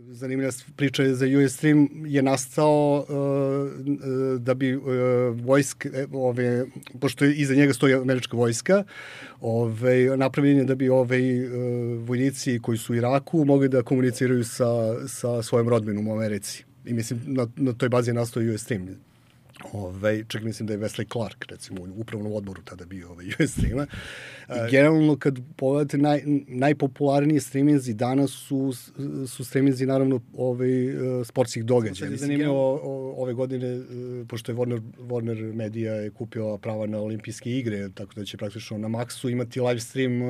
zanimljiva priča za Ustream je nastao da bi vojske, pošto iza njega stoji američka vojska, napravljen je da bi vojnici koji su u Iraku mogli da komuniciraju sa svojom rodbinom u Americi. I mislim, na toj bazi je nastao Ustream. Čak mislim da je Wesley Clark, recimo, u upravnom odboru tada bio Ustreama. Generalno, kad pogledate, najpopularniji streaminzi danas su streaminzi, naravno, sportskih događaja. Zanimljivo, ove godine, pošto je Warner Media je kupila prava na olimpijske igre, tako da će praktično na Maxu imati live stream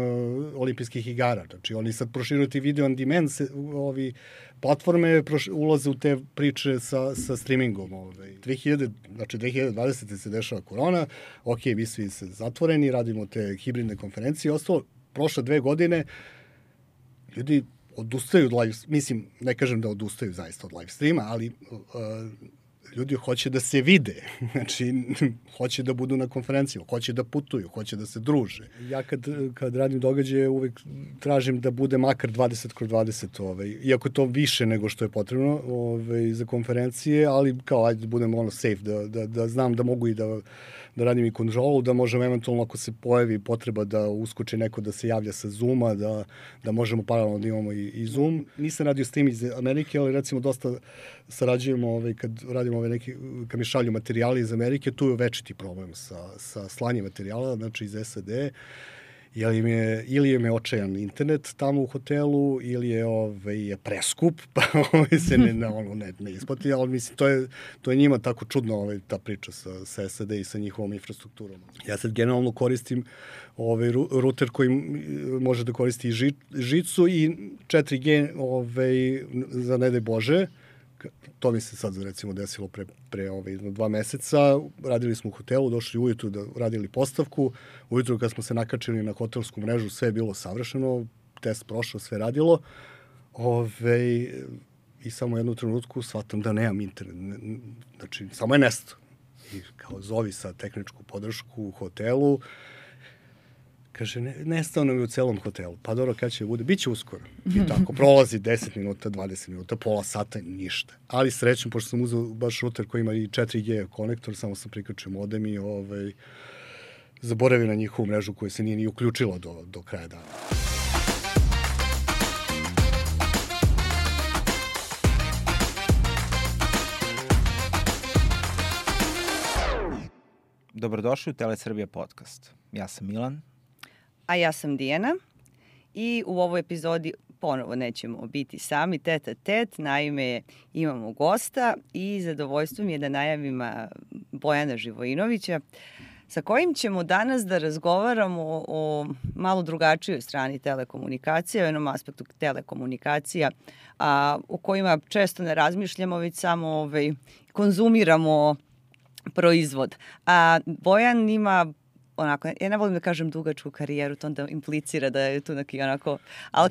olimpijskih igara. Znači, oni sad proširuju ti video on demand, platforme ulaze u te priče sa streamingom. 2020. se dešava korona, mi svi se zatvoreni, radimo te hibridne konferencije i ostalo. Prošle 2 godine ljudi odustaju od live, mislim, ne kažem da odustaju zaista od live streama, ali ljudi hoće da se vide, znači hoće da budu na konferenciju, hoće da putuju, hoće da se druže. Ja kad radim događaje uvek tražim da bude makar 20x20, iako to više nego što je potrebno za konferencije, ali kao ajde da budem safe, da znam da mogu i da radim i kontrolu, da možemo eventualno ako se pojavi potreba da uskoči neko da se javlja sa Zooma, da možemo paralelno da imamo i Zoom. Nisam radio stream iz Amerike, ali recimo dosta sarađujemo kad radimo kad mi šalju materijali iz Amerike, tu je večiti problem sa slanjem materijala, znači iz SAD, ili je očajan internet tamo u hotelu, ili je preskup, pa se ne isplati, ali mislim, to je njima tako čudno ta priča sa SAD i sa njihovom infrastrukturom. Ja sad generalno koristim ruter koji može da koristi i žicu i 4G za ne daj Bože. To mi se sad recimo desilo pre 2 meseca. Radili smo u hotelu, došli ujutru da radili postavku. Ujutru kad smo se nakačili na hotelsku mrežu, sve je bilo savršeno, test prošao, sve radilo. I samo u jednu trenutku shvatam da nemam internet. Znači, samo je nesto. I kao zovi sa tehničku podršku u hotelu. Kaže, nestao nam je u celom hotelu. Pa dobro, kada će bude? Biće uskoro. I tako, prolazi 10 minuta, 20 minuta, pola sata, ništa. Ali srećem, pošto sam uzeo baš router koji ima i 4G konektor, samo sam prikačio modem i zaboravio na njihovu mrežu koja se nije ni uključila do kraja dana. Dobrodošli u Telesrbija podcast. Ja sam Milan. A ja sam Dijana i u ovoj epizodi ponovo nećemo biti sami tet a tet, naime imamo gosta i zadovoljstvo mi je da najavim Bojana Živojinovića sa kojim ćemo danas da razgovaramo o malo drugačijoj strani telekomunikacija, o jednom aspektu telekomunikacija o kojima često ne razmišljamo, već samo konzumiramo proizvod. Bojan ima onako, ja ne volim da kažem dugačku karijeru, to onda implicira da je tu neki onako, ali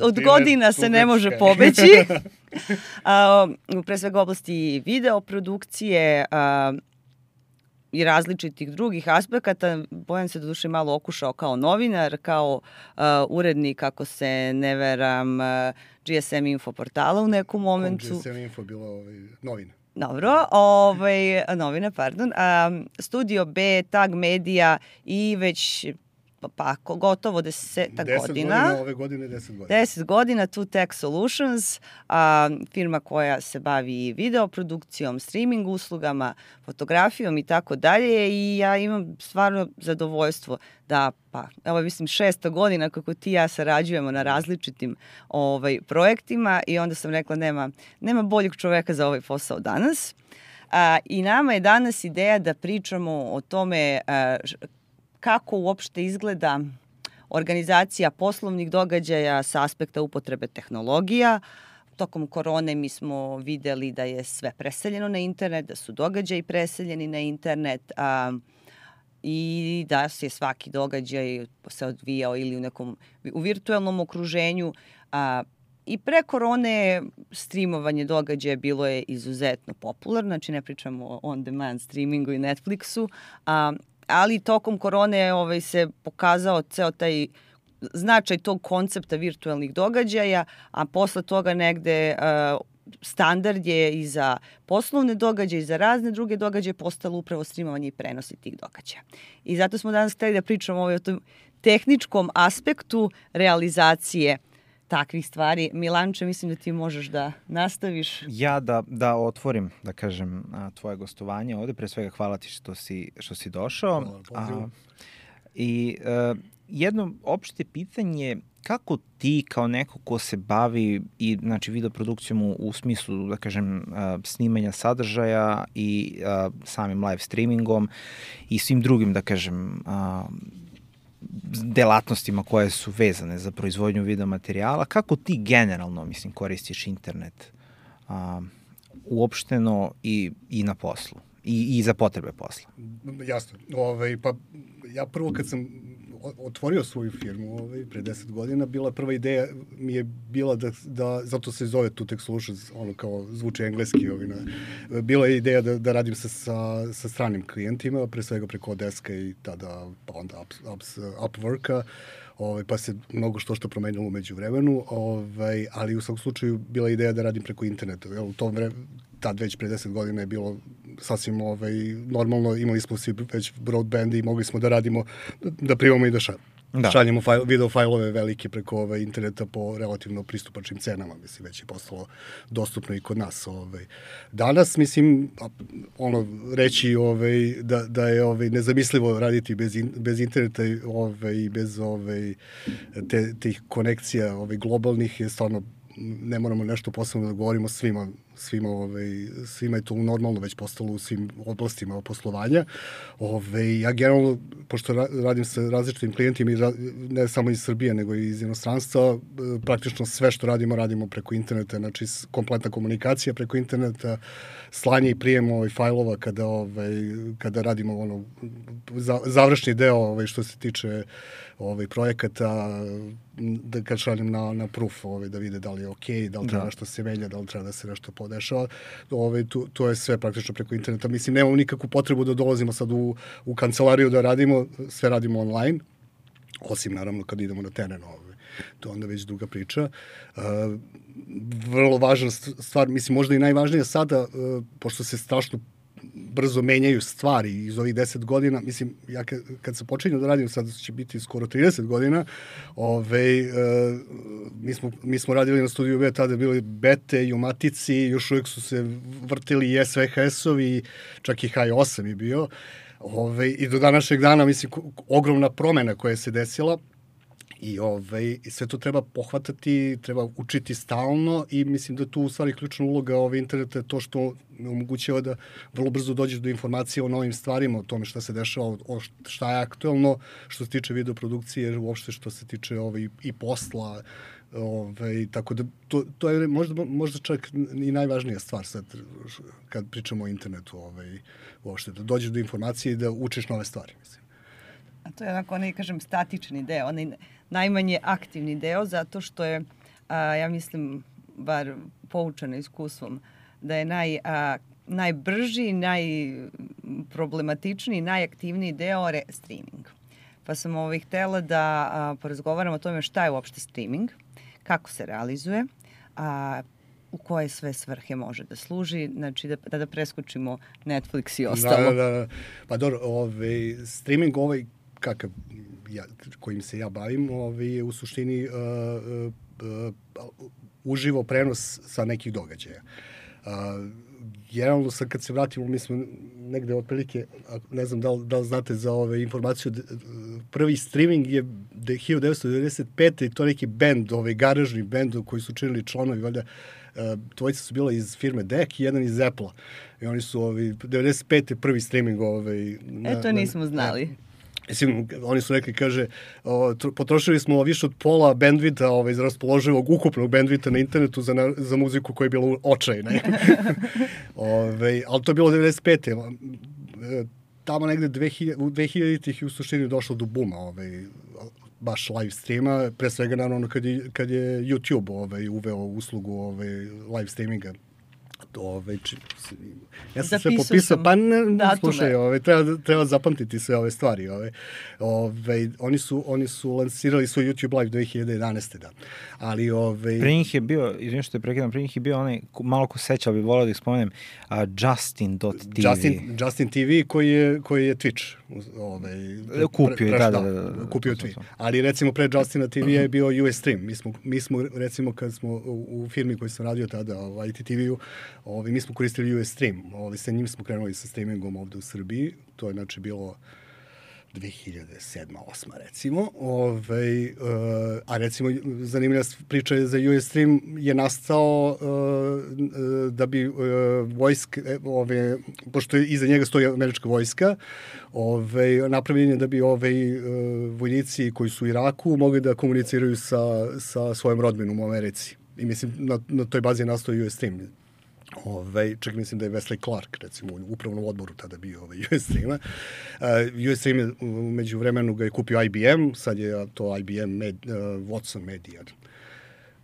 od godina se ne može pobeći. Pre svega oblasti videoprodukcije i različitih drugih aspekata. Bojan se doduše malo okušao kao novinar, kao urednik, ako se ne veram, GSM Info portala u nekom momentu. GSM Info bilo novina. Dobro, novine, pardon. Studio B, Tag Media i već gotovo 10 godina. Ove godine 10 godina. 10 godina, Two Tech Solutions, firma koja se bavi videoprodukcijom, streaming uslugama, fotografijom i tako dalje. I ja imam stvarno zadovoljstvo da, evo mislim 6. godina kako ti i ja sarađujemo na različitim projektima i onda sam rekla nema boljeg čoveka za ovaj posao danas. I nama je danas ideja da pričamo o tome kako uopšte izgleda organizacija poslovnih događaja sa aspekta upotrebe tehnologija. Tokom korone mi smo videli da je sve preseljeno na internet, da su događaji preseljeni na internet i da se svaki događaj se odvijao ili u virtualnom okruženju. I pre korone streamovanje događaja bilo je izuzetno popularno, znači ne pričamo o on-demand streamingu i Netflixu, ali tokom korone se pokazao ceo taj značaj tog koncepta virtualnih događaja, a posle toga negde standard je i za poslovne događaje i za razne druge događaje postalo upravo streamovanje i prenosi tih događaja. I zato smo danas hteli da pričamo o tom tehničkom aspektu realizacije takvih stvari. Milanče, mislim da ti možeš da nastaviš. Ja da otvorim, da kažem, tvoje gostovanje ovde. Pre svega hvala ti što si došao. Jedno opšte pitanje, kako ti kao neko ko se bavi i znači videoprodukcijom u smislu, da kažem, snimanja sadržaja i samim live streamingom i svim drugim, da kažem, delatnostima koje su vezane za proizvodnju videomaterijala, kako ti generalno, mislim, koristiš internet uopšteno i na poslu i za potrebe posla? Jasno. Pa ja prvo kad sam otvorio svoju firmu pre 10 godina, prva ideja mi je bila da zato se zove Tutek Solutions, ono kao zvuči engleski. Bila je ideja da radim sa stranim klijentima, pre svega preko Odeska i tada pa onda Upworka, pa se mnogo što promenilo umeđu vremenu, ali u svakom slučaju bila je ideja da radim preko interneta. U tom tad već pre 10 godina je bilo sasvim normalno, imali smo svi već broadband i mogli smo da radimo, da primamo i da šaljemo video fajlove velike preko interneta po relativno pristupačnim cenama, mislim, već je postalo dostupno i kod nas. Danas, mislim, reći da je nezamislivo raditi bez interneta i bez tih konekcija globalnih je stvarno, ne moramo nešto posebno da govorimo svima je to normalno već postalo u svim oblastima poslovanja. Ja generalno, pošto radim sa različitim klijentima, ne samo iz Srbije, nego i iz inostranstva, praktično sve što radimo preko interneta, znači kompletna komunikacija preko interneta, slanje i prijem fajlova kada radimo završni deo što se tiče projekata, da kad šaljem na proof, da vide da li je okej, da li treba nešto se menja, da li treba da se nešto podešava. To je sve praktično preko interneta. Mislim, nemamo nikakvu potrebu da dolazimo sad u kancelariju da radimo, sve radimo online, osim naravno kad idemo na teren. To je onda već druga priča. Vrlo važna stvar, mislim, možda i najvažnija sada, pošto se strašno brzo menjaju stvari iz ovih 10 godina, mislim, ja kad sam počinio da radim, sad će biti skoro 30 godina, mi smo radili na studiju B, tada bili bete i u matici, još uvijek su se vrtili i SVHS-ovi, čak i H8 je bio, i do današnjeg dana, mislim, ogromna promena koja se desila, i sve to treba pohvatati, treba učiti stalno i mislim da tu u stvari ključna uloga interneta je to što omogućava da vrlo brzo dođeš do informacije o novim stvarima, o tome šta se dešava, šta je aktuelno, što se tiče videoprodukcije, uopšte što se tiče i posla, tako da to je možda čak i najvažnija stvar sad kad pričamo o internetu, uopšte da dođeš do informacije i da učiš nove stvari, mislim. A to je onako, kažem, statični deo, onaj najmanje aktivni deo, zato što je, ja mislim, bar poučena iskustvom, da je najbrži, najproblematičniji, najaktivniji deo streaming. Pa sam htela da porazgovaram o tome šta je uopšte streaming, kako se realizuje, u koje sve svrhe može da služi, znači da preskočimo Netflix i ostalo. Da. Pa dobro, streaming kakav kojim se ja bavim, je u suštini uživo prenos sa nekih događaja. Generalno sad kad se vratimo, mi smo negde otprilike, ne znam da li znate za informaciju, prvi streaming je 1995. i to neki bend, garažni bend koji su činili članovi, valjda, dvojica su bila iz firme DEC i jedan iz Apple-a. I oni su 95. prvi streaming. To nismo znali. Mislim, oni su rekli, kaže, potrošili smo više od pola bandvita iz raspoloživog ukupnog bandvita na internetu za muziku koja je bila očajna. Ali to je bilo 95. Tamo negde u 2000-ih u suštini došlo do buma baš live streama, pre svega naravno kad je YouTube uveo uslugu live streaminga Ja sam sve popisao, pa slušaj, treba zapamtiti sve ove stvari. Oni su lansirali svoj YouTube Live 2011. Da. Ali, Pre njih je bio, izvijem što je prekidam, pre njih je bio onaj, malo ko seća, bi volao da ih spomenem, Justin.tv. Justin TV koji je Twitch. Kupio, kupio Twitch. Ali recimo pre Justina TV je bio US Stream. Mi smo recimo kad smo u firmi koji sam radio tada, ITTV-u, mi smo koristili US Stream. Sa njim smo krenuli sa streamingom ovde u Srbiji. To je znači bilo 2007-2008 recimo. A recimo zanimljiva priča je za US Stream je nastao da bi vojska, pošto iza njega stoji američka vojska, napravljen je da bi vojnici koji su u Iraku mogli da komuniciraju sa svojom rodbinom u Americi. I mislim, na toj bazi je nastao US Stream. Čak mislim da je Wesley Clark, recimo, u upravnom odboru tada bio US Streama. US Stream je, među vremenu ga je kupio IBM, sad je to IBM Watson Media.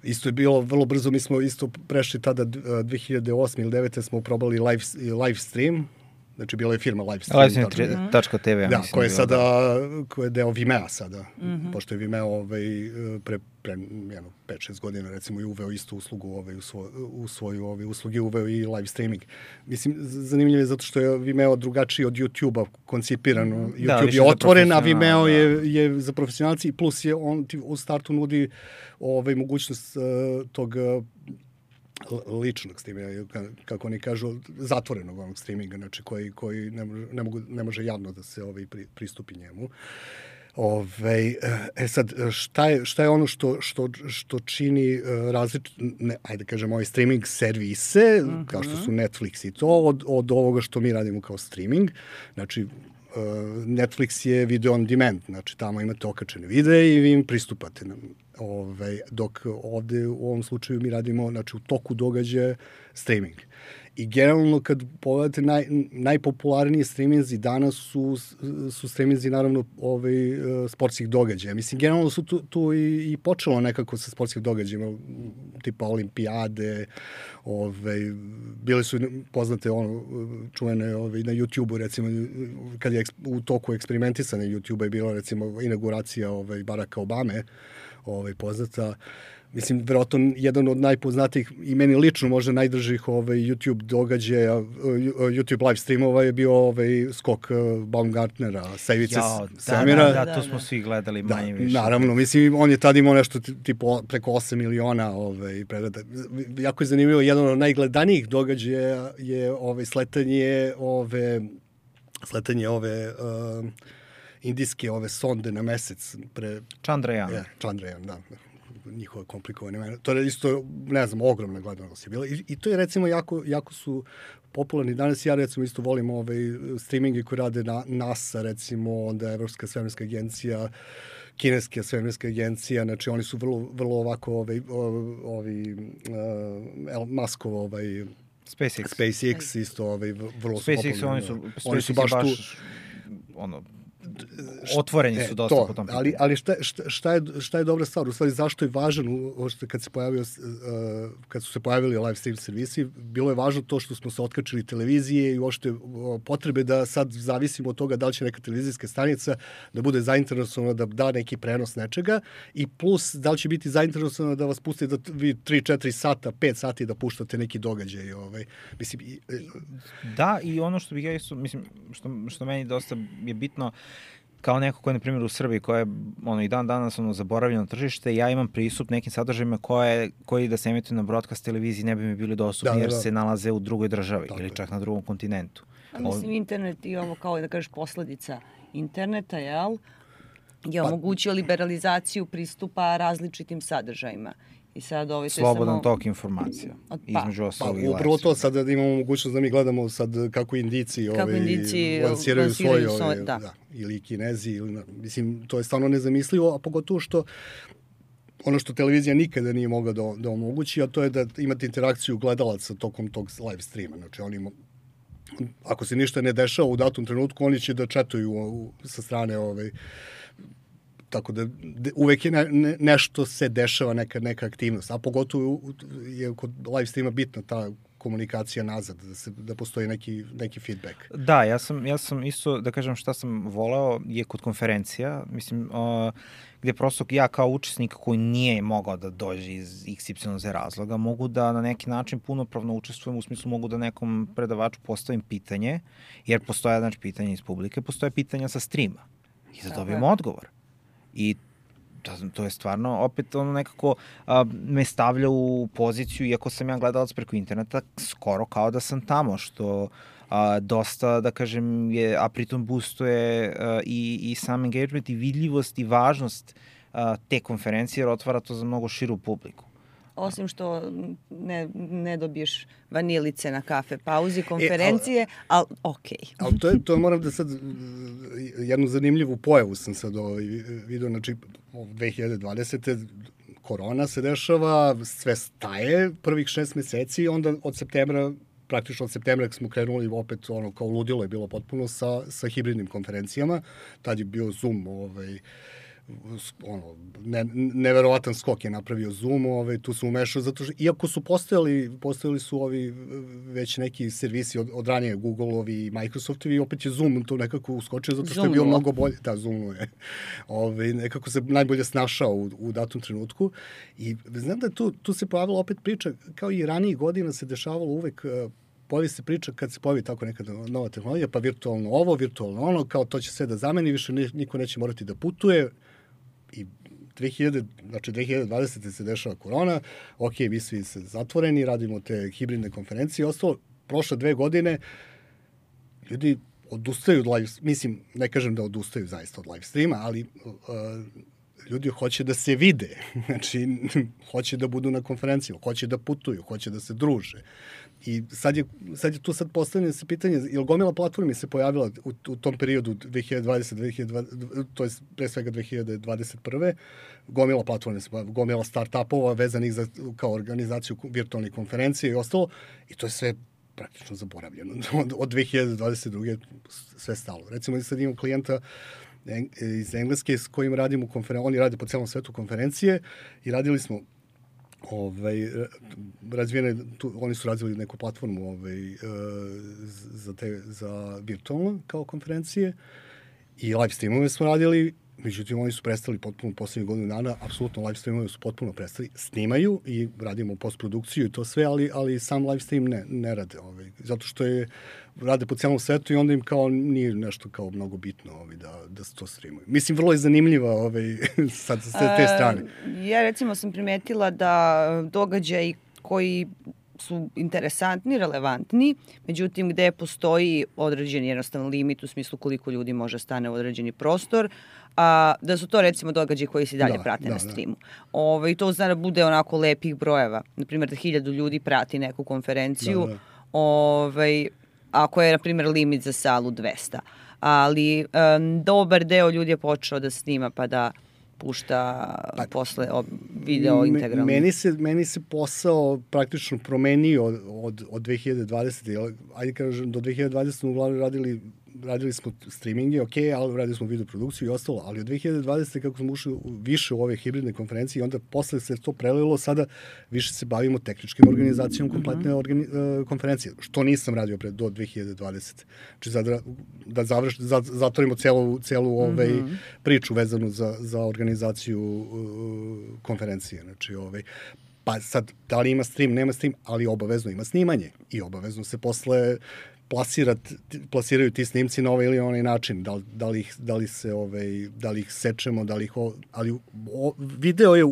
Isto je bilo vrlo brzo, mi smo isto prešli tada 2008 ili 2009. smo probali live stream, znači bila je firma livestream.tv. Da, koja je deo Vimea sada, pošto je Vimeo pre 5-6 godina recimo i uveo istu uslugu u svoju usluge, uveo i live streaming. Mislim, zanimljivo je zato što je Vimeo drugačiji od YouTube-a koncipiran. YouTube je otvoren, a Vimeo je za profesionalci i plus je on u startu nudi mogućnost tog ličnog streaminga, kako oni kažu, zatvorenog onog streaminga, znači koji ne može javno da se pristupi njemu. Sad, šta je ono što čini ajde kažem, ovaj streaming servise, kao što su Netflix i to, od ovoga što mi radimo kao streaming. Znači, Netflix je video on demand, znači tamo imate okačene videe i vi im pristupate. Dok ovde u ovom slučaju mi radimo, znači, u toku događaja streaming. I generalno kad pogledate najpopularniji streaminzi danas su streaminzi naravno sportskih događaja. Mislim, generalno su tu i počelo nekako sa sportskih događajima, tipa olimpijade, bile su poznate čuvene na YouTube-u, recimo, kad je u toku eksperimentisanja YouTube-a je bila recimo inauguracija Baracka Obame, poznata. Mislim, verovatno jedan od najpoznatijih i meni lično možda najdržih YouTube događaja, YouTube live streamova je bio skok Baumgartnera sa ivice svemira. Da, to smo svi gledali manje više. Naravno, mislim, on je tada imao nešto tipo preko 8 miliona pregleda. Jako je zanimljivo, jedan od najgledanijih događaja je sletanje indijske sonde na mesec. Chandrayaan. Chandrayaan, da. Njihova komplikovana imena. To je isto, ne znam, ogromna gledanost je bila. I to je recimo jako su popularni. Danas ja recimo isto volim streaminge koji rade na NASA, recimo, onda Evropska svemirska agencija, kineska svemirska agencija, znači oni su vrlo ovako Muskov SpaceX isto vrlo su popularni. Oni su baš tu otvoreni su dosta po tom pitanju. Ali šta je dobra stvar? U stvari, zašto je važan, kad su se pojavili live stream servisi, bilo je važno to što smo se otkačili televizije i uopšte potrebe da sad zavisimo od toga da li će neka televizijska stanica da bude zainteresovana da da neki prenos nečega i plus da li će biti zainteresovana da vas pusti da vi 3-4 sata, 5 sati da puštate neki događaj. Mislim, da, i ono što bih ja isto, mislim, što meni dosta je bitno, kao neko ko je, na primjer, u Srbiji, koja je i dan danas zaboravljeno tržište, ja imam pristup nekim sadržajima koji da se emituju na broadcast televiziji ne bi mi bili dostupni jer se nalaze u drugoj državi ili čak na drugom kontinentu. Mislim, internet i ovo kao da kažeš posledica interneta, je omogućio liberalizaciju pristupa različitim sadržajima. I sad slobodan tok informacija. Između ostalog i upravo to sad imamo mogućnost da mi gledamo sad kako Indijci lansiraju svoje ili Kinezi, mislim, to je stvarno nezamislivo, a pogotovo što ono što televizija nikada nije mogla da omogući, a to je da imate interakciju gledalaca tokom tog live streama. Znači, ako se ništa ne dešava u datom trenutku, oni će da četuju sa strane tako da uvek je nešto se dešava, neka aktivnost, a pogotovo je kod live streama bitna ta komunikacija nazad, da postoji neki feedback. Da, ja sam isto, da kažem šta sam voleo, je kod konferencija, mislim, gde prosto ja kao učesnik koji nije mogao da dođe iz XYZ razloga, mogu da na neki način punopravno učestvujem, u smislu mogu da nekom predavaču postavim pitanje, jer postoje, znači, pitanje iz publike, postoje pitanja sa streama i da dobijem odgovor. I to je stvarno, opet ono nekako me stavlja u poziciju, iako sam ja gledalac preko interneta, skoro kao da sam tamo, što dosta, da kažem, a pritom boostuje i sam engagement i vidljivost i važnost te konferencije, jer otvara to za mnogo širu publiku. Osim što ne dobiješ vanilice na kafe pauzi konferencije, ali okej. Ali to moram da sad, jednu zanimljivu pojavu sam sad vidio, znači 2020. korona se dešava, sve staje prvih 6 meseci, onda od septembra, praktično od septembra smo krenuli opet, kao ludilo je bilo potpuno sa hibridnim konferencijama, tad je bio Zoom, neverovatan skok je napravio Zoom, tu se umešao, zato što, iako su postojali su ovi već neki servisi od ranije, Google-ovi i Microsoftovi, opet je Zoom to nekako uskočio, zato što je bio mnogo bolje, Zoom je, nekako se najbolje snašao u datom trenutku, i znam da tu se pojavila opet priča, kao i ranijih godina se dešavalo uvek, pojavi se priča kad se pojavi tako neka nova tehnologija, pa virtualno ovo, virtualno ono, kao to će sve da zameni, više niko neće morati da putuje. I 2020. se dešava korona, vi svi se zatvoreni, radimo te hibridne konferencije i ostalo. Prošle 2 godine ljudi odustaju od live, mislim, ne kažem da odustaju zaista od live streama, ali ljudi hoće da se vide, znači hoće da budu na konferencijama, hoće da putuju, hoće da se druže. I sad je tu postavljeno se pitanje, je li gomila platformi se pojavila u tom periodu 2020, to je pre svega 2021. Gomila platformi se pojavila, gomila start-upova vezanih za kao organizaciju virtualnih konferencija i ostalo, i to je sve praktično zaboravljeno. Od 2022. sve stalo. Recimo, sad imam klijenta iz Engleske s kojim radimo oni rade po celom svetu konferencije i radili smo oni su razvili neku platformu za virtualno kao konferencije i live streamove smo radili, međutim oni su prestali potpuno poslednjih godinu dana, apsolutno live streamove su potpuno prestali, snimaju i radimo postprodukciju i to sve, ali sam live stream ne rade, zato što rade po celom svetu i onda im kao nije nešto kao mnogo bitno da se to streamuju. Mislim, vrlo je zanimljiva sad s te strane. Ja recimo sam primetila da događaji koji su interesantni, relevantni, međutim gde postoji određeni jednostavno limit u smislu koliko ljudi može stane u određeni prostor, da su to recimo događaji koji se dalje prate na streamu. I to zna da bude onako lepih brojeva. Naprimjer, da 1000 ljudi prati neku konferenciju, ako je, na primjer, limit za salu 200. Ali dobar deo ljudi je počeo da snima pa da pušta posle video integralno. Meni se posao praktično promenio od 2020. Ajde kažem, do 2020. smo uglavnom radili smo streaminge, ali radili smo video produkciju i ostalo, ali od 2020. kako smo ušli više u ove hibridne konferencije i onda posle se to prelilo, sada više se bavimo tehničkim organizacijom kompletne konferencije, što nisam radio do 2020. Znači da zatvorimo celu priču vezanu za organizaciju konferencije. Znači, pa sad, da li ima stream, nema stream, ali obavezno ima snimanje i obavezno se posle plasiraju ti snimci na ovaj ili onaj način, da li ih sečemo, ali video je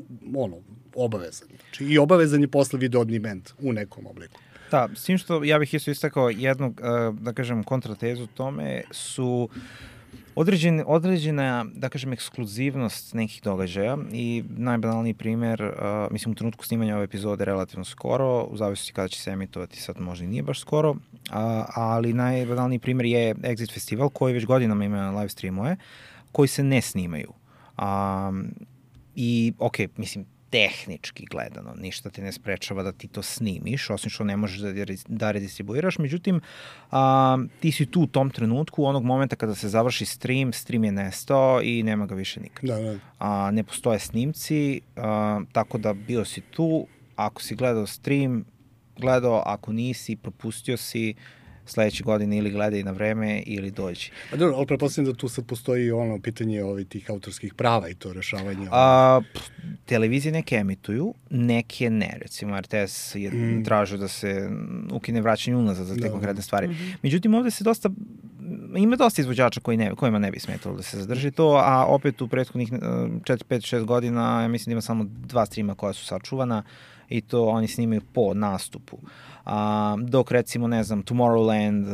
obavezan. Znači, i obavezan je posle video on demand u nekom obliku. Da, s tim što ja bih isto istakao jednu, da kažem, kontratezu tome su određena, da kažem, ekskluzivnost nekih događaja i najbanalniji primer, mislim u trenutku snimanja ove epizode relativno skoro, u zavisnosti kada će se emitovati, sad možda i nije baš skoro, ali najbanalniji primer je Exit Festival koji već godinama ima live streamove koji se ne snimaju. I mislim, tehnički gledano, ništa te ne sprečava da ti to snimiš, osim što ne možeš da redistribuiraš, međutim, ti si tu u tom trenutku, onog momenta kada se završi stream je nestao i nema ga više nikad. Ne postoje snimci, tako da bio si tu, ako si gledao stream, gledao, ako nisi, propustio si, sledeće godine ili gledaj na vreme ili dođi. Dobro, ali pretpostavljam da tu sad postoji ono pitanje tih autorskih prava i to rešavanje. Televizije neke emituju, neke ne. Recimo, RTS je tražio da se ukine vraćanje unazad za te konkretne stvari. Međutim, ovde se ima dosta izvođača kojima ne bi smetalo da se zadrži to, a opet u prethodnih 4, 5, 6 godina, ja mislim da ima samo 2 streama koja su sačuvana i to oni snimaju po nastupu. Dok recimo, ne znam, Tomorrowland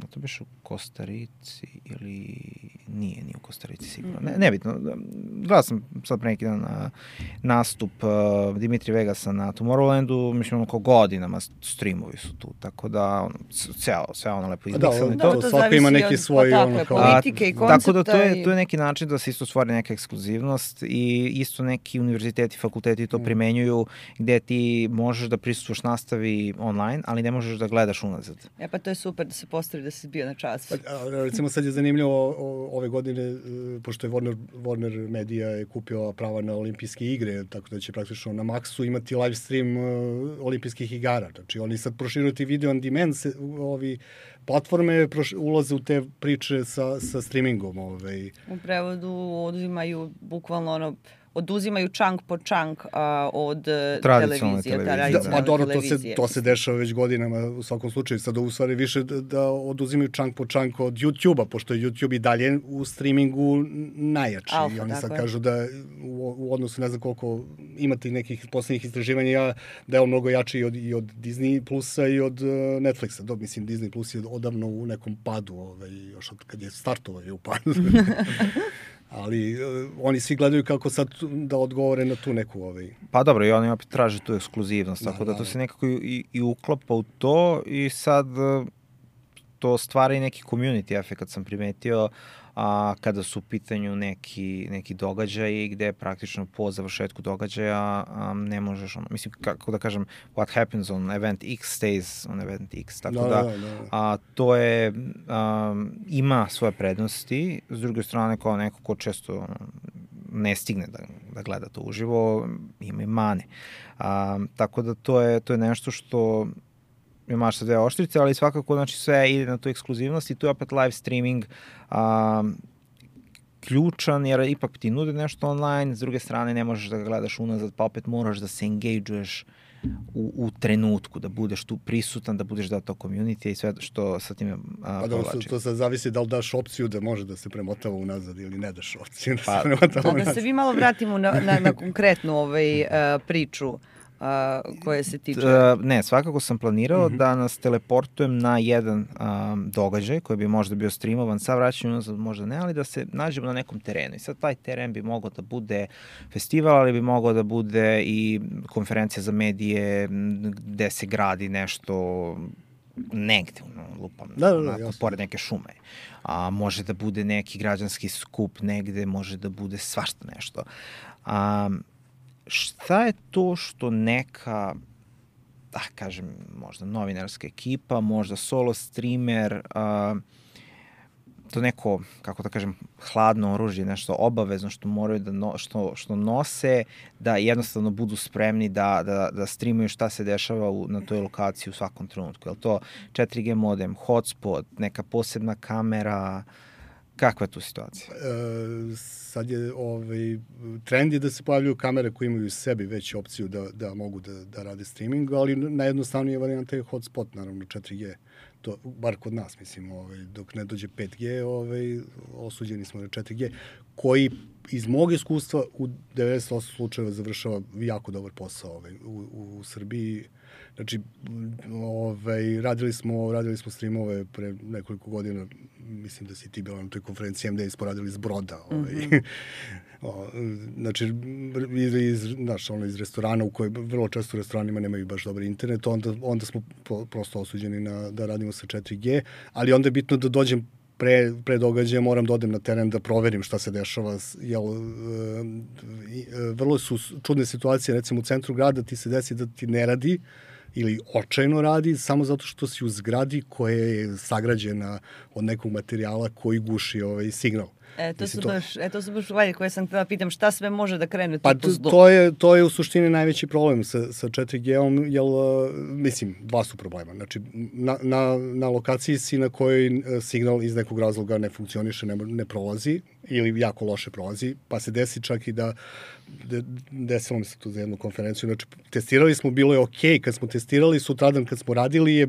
to biš u Kostarici ili nije u Kostarici sigurno. Nebitno. Gledao sam sad pre neki dan nastup Dimitri Vegasa na Tomorrowlandu, mislim oko godinama streamovi su tu, tako da sve ono lepo izmiksano. To svako ima neki svoj politike i koncepta. Tako da to je neki način da se isto stvari neka ekskluzivnost i isto neki univerziteti, fakulteti to primenjuju gde ti možeš da prisustuješ nastavi online, ali ne možeš da gledaš unazad. Pa to je super da se postavi da si bio na času. Recimo sad je zanimljivo ove godine, pošto je Warner Media je kupio prava na olimpijske igre, tako da će praktično na Maxu imati live stream olimpijskih igara. Znači oni sad proširuju ti video on demand, platforme ulaze u te priče sa streamingom. U prevodu oduzimaju bukvalno oduzimaju čank po čank od televizije. Pa dobro, to se dešava već godinama u svakom slučaju. Sad u stvari više da oduzimaju čank po čank od YouTube-a, pošto je YouTube i dalje u streamingu najjači. I oni sad kažu da u odnosu ne znam koliko imate nekih poslednjih istraživanja da je on mnogo jači i od Disney Plusa i od Netflixa. Mislim, Disney Plus je odavno u nekom padu, još od kad je startovao je u padu. Ali oni svi gledaju kako sad da odgovore na tu neku Pa dobro, i oni opet traže tu ekskluzivnost, tako da to se nekako i uklapa u to i sad to stvara i neki community efekt, sam primetio, kada su u pitanju neki događaji gde praktično po završetku događaja ne možeš, mislim, kako da kažem, what happens on event X stays on event X, tako to je, ima svoje prednosti, s druge strane kao neko ko često ne stigne da gleda to uživo, ima i mane. Tako da to je nešto što imaš sa dve oštrice, ali svakako znači, sve ide na tu ekskluzivnost i tu je opet live streaming ključan, jer ipak ti nude nešto online, s druge strane ne možeš da ga gledaš unazad, pa opet moraš da se engage-uješ u trenutku, da budeš tu prisutan, da budeš dao to community i sve što sa time povlači. To sad zavisi da li daš opciju da može da se premotava unazad ili ne daš opciju da se premotava unazad. Da se vi malo vratimo na konkretnu priču koje se tiče... Ne, svakako sam planirao da nas teleportujem na jedan događaj koji bi možda bio streamovan, sa vraćanjem unazad možda ne, ali da se nađemo na nekom terenu. I sad taj teren bi mogao da bude festival, ali bi mogao da bude i konferencija za medije gde se gradi nešto negde, lupam, pored neke šume. Može da bude neki građanski skup negde, može da bude svašta nešto. Šta je to što neka, kažem, možda novinarska ekipa, možda solo streamer, to neko, kako da kažem, hladno oružje, nešto obavezno što moraju što nose, da jednostavno budu spremni da streamuju šta se dešava na toj lokaciji u svakom trenutku. Je li to 4G modem, hotspot, neka posebna kamera? Kakva je tu situacija? Sad je trend je da se pojavljuju kamere koje imaju u sebi već opciju da mogu da rade streaming, ali najjednostavnija varijanta je hotspot, naravno 4G. To, bar kod nas, mislim, dok ne dođe 5G, osuđeni smo na 4G, koji iz mog iskustva u 98 slučajeva završava jako dobar posao u Srbiji. Znači, radili smo streamove pre nekoliko godina, mislim da si ti bila na toj konferenciji MD, smo radili iz Broda. Znači, iz restorana u kojoj vrlo često u restoranima nemaju baš dobar internet, onda smo prosto osuđeni da radimo sa 4G, ali onda je bitno da dođem pre događaja, moram da odem na teren da proverim šta se dešava. Vrlo su čudne situacije, recimo u centru grada ti se desi da ti ne radi ili očajno radi, samo zato što si u zgradi koja je sagrađena od nekog materijala koji guši signal. To su baš stvari koje sam htjela pitam, šta sve može da krene tu po zlu? To je u suštini najveći problem sa 4G-om, jer, mislim, dva su problema. Znači, na lokaciji si na kojoj signal iz nekog razloga ne funkcioniše, ne prolazi, ili jako loše prolazi, pa se desi čak i da desilo mi se tu za jednu konferenciju. Znači, testirali smo, bilo je okej, kad smo testirali, sutradan kad smo radili je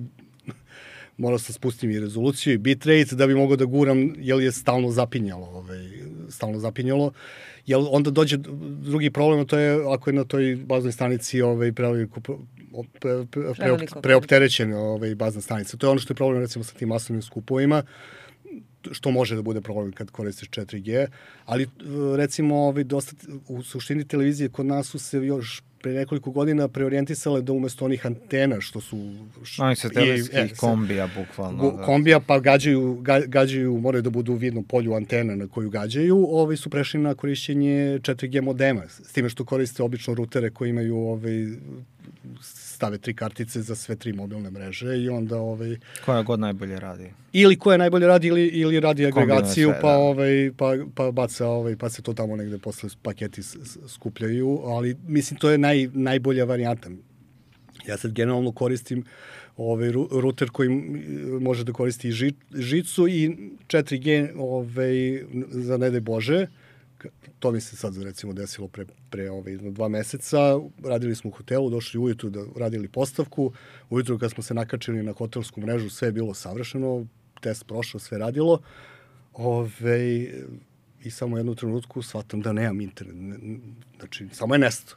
morao sam spustim i rezoluciju i bitrate da bi mogao da guram, jer je stalno zapinjalo. Jer onda dođe drugi problem, to je ako je na toj baznoj stanici preopterećen bazna stanica. To je ono što je problem recimo sa tim masovnim skupovima, što može da bude problem kad koristiš 4G, ali recimo u suštini televizije kod nas su se još pre nekoliko godina preorijentisale da umesto onih antena što su... Oni se televizijskih kombija, bukvalno. Kombija, pa gađaju, moraju da budu u vidnom polju antena na koju gađaju, su prešli na korišćenje 4G modema, s time što koriste obično rutere koji imaju stave 3 kartice za sve 3 mobilne mreže i onda... Koja god najbolje radi. Ili koja najbolje radi ili radi agregaciju, pa baca, pa se to tamo negde posle paketi skupljaju, ali mislim to je najbolja varijanta. Ja sad generalno koristim ruter koji može da koristi i žicu i 4G za ne daj Bože. To mi se sad recimo desilo pre 2 meseca. Radili smo u hotelu, došli ujutru da radili postavku. Ujutru kad smo se nakačili na hotelsku mrežu, sve je bilo savršeno, test prošao, sve radilo. I samo u jednu trenutku shvatam da nemam internet. Znači, samo je nesto.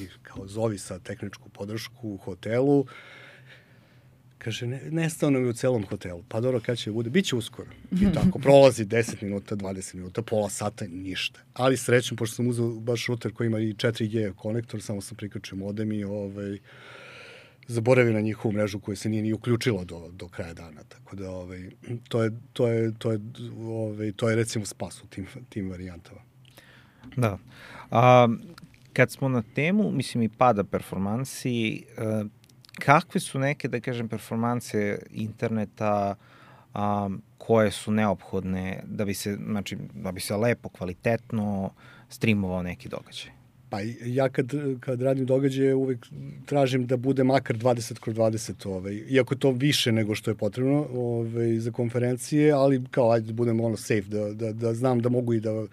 I kao zovi sa tehničku podršku u hotelu. Kaže, nestao nam je u celom hotelu. Pa dobro, kad će bude? Biće uskoro. I tako, prolazi 10 minuta, 20 minuta, pola sata, ništa. Ali srećem, pošto sam uzeo baš ruter koji ima i 4G konektor, samo sam prikačio modem i zaboravio na njihovu mrežu koja se nije ni uključila do kraja dana. Tako da, to je recimo spas u tim varijantama. Da. Kad smo na temu, mislim, i pada performansi, kakve su neke, da kažem, performanse interneta koje su neophodne da bi se lepo, kvalitetno streamovao neki događaj? Pa ja kad radim događaje uvek tražim da bude makar 20x20, iako to više nego što je potrebno za konferencije, ali kao ajde da budemo safe, da znam da mogu i da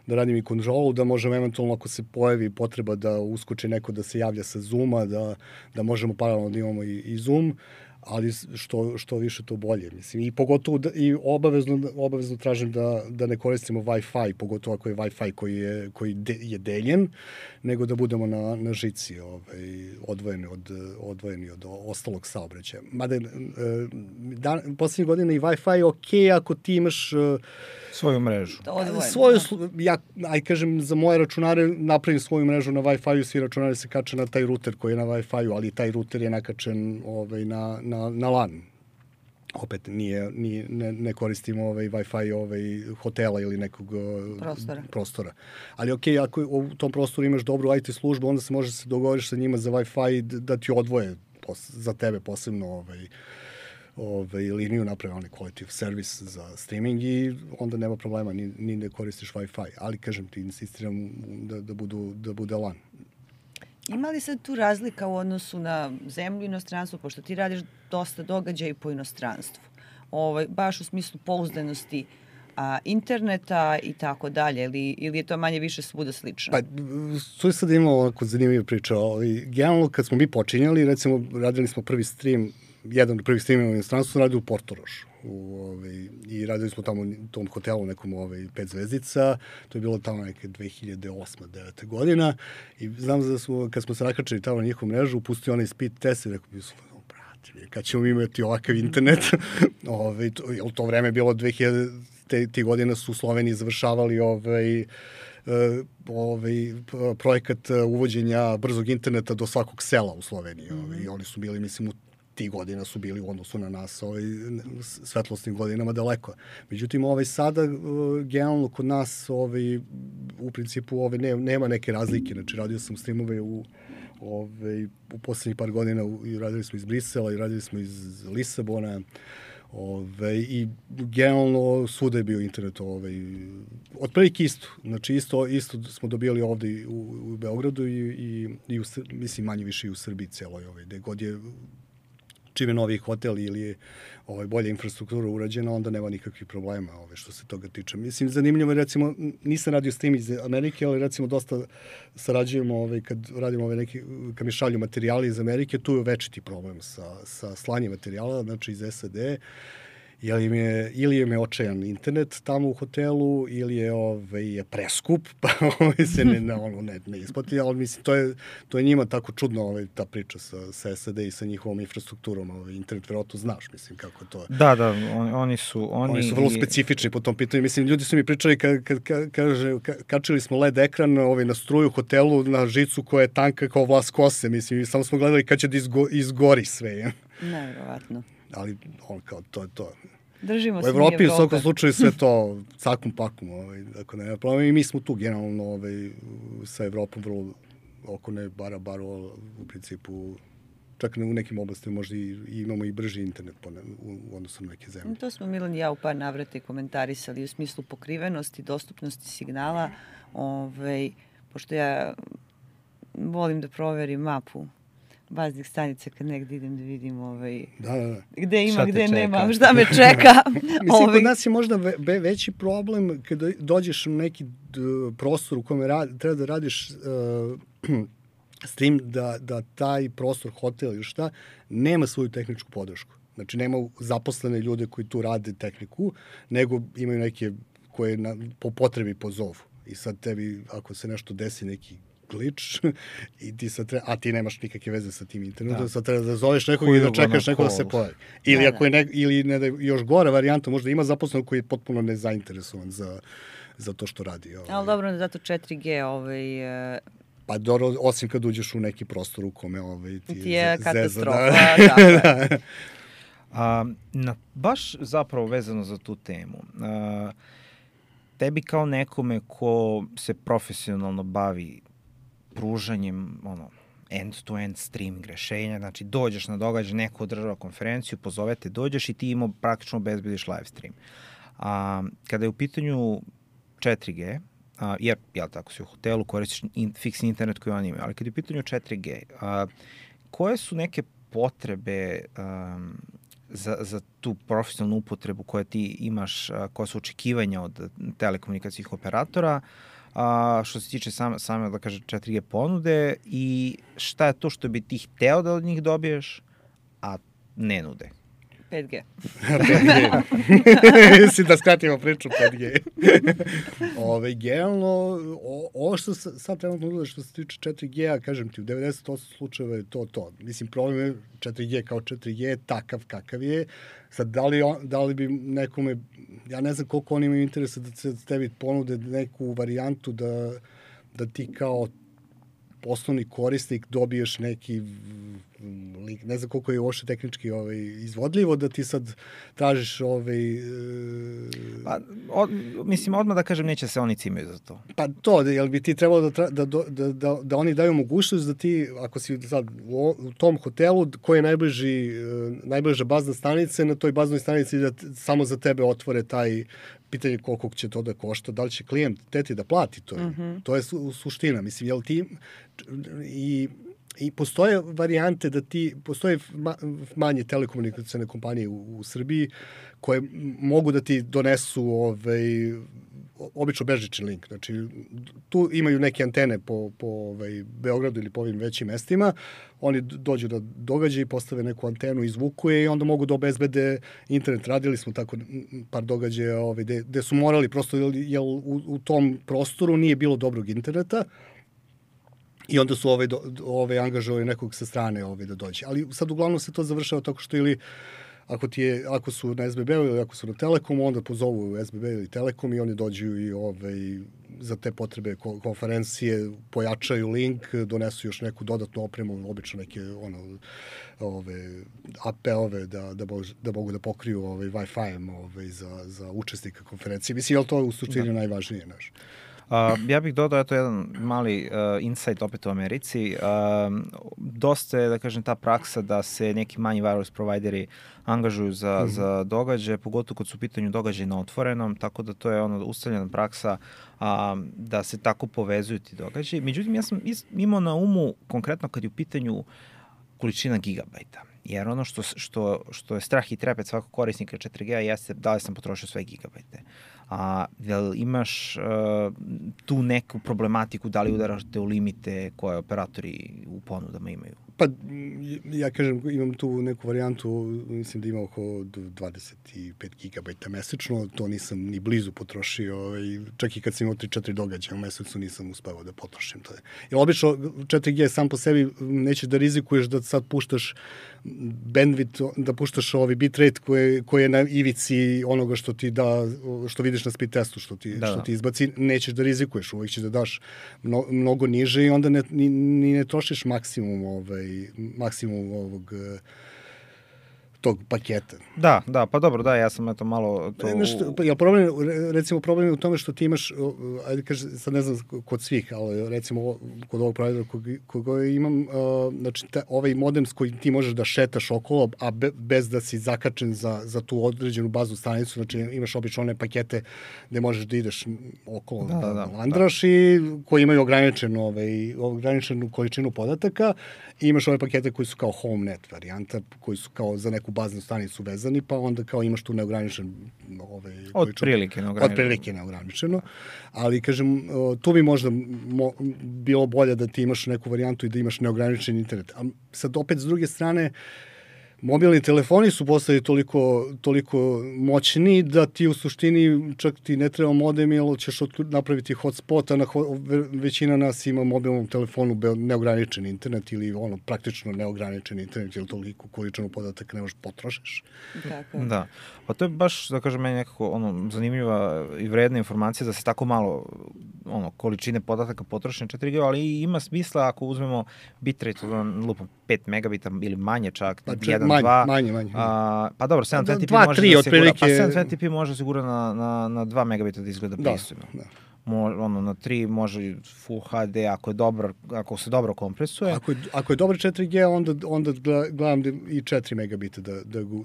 radim i kontrolu, da možem eventualno ako se pojavi potreba da uskoči neko da se javlja sa Zooma, da možemo paralelno da imamo i Zoom, ali što više to bolje. Mislim. I pogotovo i obavezno tražim da ne koristimo Wi-Fi, pogotovo ako je Wi-Fi koji je deljen, nego da budemo na žici odvojeni od ostalog saobraćaja. Mada poslednjih godina i Wi-Fi je okej ako ti imaš svoju mrežu. Ja kažem, za moje računare napravim svoju mrežu na Wi-Fi-u, svi računari se kače na taj ruter koji je na Wi-Fi-u, ali taj ruter je nakačen na LAN. Opet ne koristimo Wi-Fi hotela ili nekog prostora. Ali okej, ako u tom prostoru imaš dobru IT službu, onda se može se dogovoriš sa njima za Wi-Fi da ti odvoje za tebe posebno liniju, naprave onaj quality of service za streaming i onda nema problema, ni ne koristiš Wi-Fi. Ali, kažem ti, insistiram da bude LAN. Ima li se tu razlika u odnosu na zemlju i inostranstvo, pošto ti radiš dosta događaja i po inostranstvu, baš u smislu pouzdanosti interneta i tako dalje, ili je to manje više svuda slično? Pa, tu je sad imalo onako zanimljiva priča. Generalno, kad smo mi počinjali, recimo, radili smo prvi stream, jedan od prvih streamova u inostranstvu sam radio u Portorošu. I radili smo tamo u tom hotelu nekom 5 zvezdica, to je bilo tamo neke 2008-2009 godina i znam da kad smo se nakačili tamo na njihovu mrežu, pustio onaj speed test i rekao bi su, brate, kad ćemo imati ovakav internet, u to vreme je bilo 2000, ti godina su u Sloveniji završavali projekat uvođenja brzog interneta do svakog sela u Sloveniji i oni su bili, mislim, ti godina su bili u odnosu na nas svetlosnim godinama daleko. Međutim, sada generalno kod nas u principu nema neke razlike. Znači, radio sam streamove u poslednjih par godina i radili smo iz Brisela i radili smo iz Lisabona. I generalno svuda je bio internet. Otprilike isto. Znači isto smo dobili ovde u Beogradu i mislim manje više i u Srbiji celoj. Gde god je čim je novi hotel ili je bolja infrastruktura urađena, onda nema nikakvih problema što se toga tiče. Mislim, zanimljivo je, recimo, nisam radio s tim iz Amerike, ali recimo dosta sarađujemo kad radimo kad mi šalju materijali iz Amerike, tu je večiti problem sa slanjem materijala, znači iz SAD, ili im je očajan internet tamo u hotelu, ili je preskup, pa se ne isplati, ali mislim, to je njima tako čudno ta priča sa SAD i sa njihovom infrastrukturom, internet verovatno znaš, mislim, kako to je. Da, oni su vrlo specifični po tom pitanju, mislim, ljudi su mi pričali kaže, kačili smo LED ekran na struju hotelu, na žicu koja je tanka kao vlas kose, mislim, samo smo gledali kad će da izgori sve. Nevjerovatno. Ali kao to je to. Držimo se u Evropi u svakom slučaju sve to cakum pakum, dakle nema problema i mi smo tu generalno sa Evropom vrlo oko ne bara u principu čak u nekim oblastima možda imamo i brži internet u odnosu na neke zemlje. To smo Milan i ja u par navrata komentarisali u smislu pokrivenosti, dostupnosti signala, pošto ja volim da proverim mapu baznih stanica kad negde idem da vidim gde ima, gde nema, šta me čeka. Mislim, kod nas je možda veći problem kada dođeš u neki prostor u kome treba da radiš s tim da taj prostor, hotel ili šta, nema svoju tehničku podršku. Znači, nema zaposlene ljude koji tu rade tehniku, nego imaju neke koje po potrebi pozovu. I sad tebi, ako se nešto desi, neki klič, i ti sad a ti nemaš nikakve veze sa tim internetom, sad treba da zoveš nekog i da čekaš nekog da se pojavi. Ili ako je ili još gora varijanta, možda ima zaposlenog koji je potpuno nezainteresovan za to što radi. Ali dobro, zato 4G pa dobro, osim kad uđeš u neki prostor u kome ti je katastrofa. Baš zapravo vezano za tu temu, tebi kao nekome ko se profesionalno bavi pružanjem end-to-end streaming rešenja, znači dođeš na događaj, neko održava konferenciju, pozovete, dođeš i ti praktično obezbediš live stream. Kada je u pitanju 4G, jer, tako si u hotelu, koristiš fiksni internet koji oni imaju, ali kada je u pitanju 4G, koje su neke potrebe za tu profesionalnu upotrebu koje ti imaš, koja su očekivanja od telekomunikacijskih operatora, što se tiče same, da kažem, 4G ponude i šta je to što bi ti hteo da od njih dobiješ, a ne nude? 5G. 5G. Mislim da skratimo priču 5G. Generalno, ovo što sad trenutno nude što se tiče 4G-a, kažem ti, u 98 slučajeva je to. Mislim, problem je 4G kao 4G, takav kakav je. Sad, da li bi nekome, ja ne znam koliko oni imaju interesa da se tebi ponude neku varijantu da ti kao osnovni korisnik dobiješ neki link, ne znam koliko je uopšte tehnički izvodljivo da ti sad tražiš mislim, odmah da kažem, neće se oni cimaju za to. Pa to, jel bi ti trebalo da oni daju mogućnost da ti, ako si sad u tom hotelu koji je najbliža bazna stanica, na toj baznoj stanici da samo za tebe otvore taj pitanje koliko će to da košta, da li će klijent teti da plati to. To je suština. Mislim, jel ti i postoje varijante da postoje manje telekomunikacijne kompanije u Srbiji koje mogu da ti donesu obično bežični link. Znači, tu imaju neke antene po Beogradu ili po ovim većim mestima. Oni dođu da događaju i postave neku antenu, izvuku je i onda mogu da obezbede internet. Radili smo tako par događaja gde su morali prosto, jer u tom prostoru nije bilo dobrog interneta, i onda su angažovali nekog sa strane da dođe. Ali sad uglavnom se to završava tako što ili ako su na SBB-u ili ako su na Telekomu, onda pozovu SBB ili Telekom i oni dođu i za te potrebe konferencije pojačaju link, donesu još neku dodatnu opremu, obično neke AP-ove da mogu da pokriju Wi-Fi-em za učesnika konferencije. Mislim, je li to u suštini najvažnije naš? Ja bih dodao to jedan mali insight opet u Americi. Dosta je, da kažem, ta praksa da se neki manji wireless provideri angažuju za događaje, pogotovo kad su u pitanju događaje na otvorenom, tako da to je ustaljena praksa da se tako povezuju ti događaji. Međutim, ja sam imao na umu konkretno kad je u pitanju količina gigabajta. Jer ono što je strah i trepet svakog korisnika 4G jeste da li sam potrošio sve gigabajte. Jel imaš tu neku problematiku, da li udarašte u limite koje operatori u ponudama imaju? Pa, ja kažem, imam tu neku varijantu, mislim da ima oko 25 gigabajta mesečno, to nisam ni blizu potrošio, čak i kad sam imao 3-4 događaja u mesecu nisam uspeo da potrošim to. Jer obično 4G sam po sebi neće da rizikuješ da sad puštaš bandwidth, da puštaš bitrate koji je na ivici onoga što ti da, što vidiš na speed testu, što ti izbaci, nećeš da rizikuješ, uvijek ćeš da daš mnogo niže i onda ni ne trošiš maksimum ovog tog paketa. Da, pa dobro, ja sam eto malo to... Problem je u tome što ti imaš, ajde kaže, sad ne znam kod svih, ali recimo kod ovog providera koga imam, znači ovaj modem s kojim ti možeš da šetaš okolo, a bez da si zakačen za tu određenu baznu stanicu, znači imaš obično one pakete gde možeš da ideš okolo, da landraš i koji imaju ograničenu količinu podataka i imaš ove pakete koji su kao home net varijanta, koji su kao za neku baznu stanicu vezani, pa onda kao imaš tu neograničen Otprilike neograničeno. Ali, kažem, tu bi možda bilo bolje da ti imaš neku varijantu i da imaš neograničen internet. A sad opet, s druge strane, mobilni telefoni su postali toliko moćni da ti u suštini čak ti ne treba modem jer ćeš napraviti hotspot, a većina nas ima mobilnom telefonu neograničen internet ili praktično neograničen internet ili toliko količinu podataka ne možeš potrošiš. Tako. Da, pa to je baš, da kažem, meni nekako zanimljiva i vredna informacija da se tako malo količine podataka potroši na 4G, ali ima smisla ako uzmemo bitrate, lupom 5 megabita ili manje čak, 1, Manje. Pa dobro, 720p može da sigura na 2 megabita da izgleda pristojno. Da. Na 3 može Full HD ako se dobro kompresuje. Ako je dobro 4G, onda gledam i 4 megabita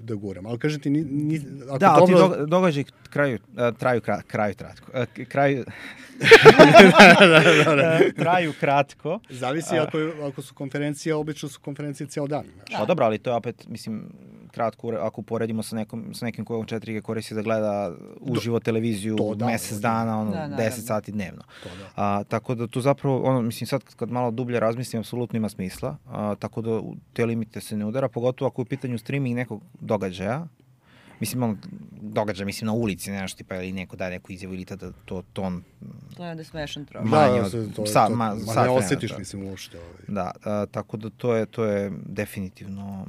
da guram. Ali kažete, ti događaj traju kratko. Zavisi ako su konferencije, obično su konferencije cijel dan. Pa dobro, ali to je opet, mislim, kratko, ako poredimo sa nekim kojom 4G koristi da gleda uživo televiziju mesec dana, 10 sati dnevno. Tako da tu zapravo, mislim, sad kad malo dublje razmislim, apsolutno ima smisla, tako da te limite se ne udara, pogotovo ako je u pitanju streaming nekog događaja, mislim, mislim na ulici, nešto tipa, ili neko daje neku izjavu ili tada to on... To je onda smešan trošak. Ne osjetiš, mislim, uopšte. Da, tako da to je definitivno...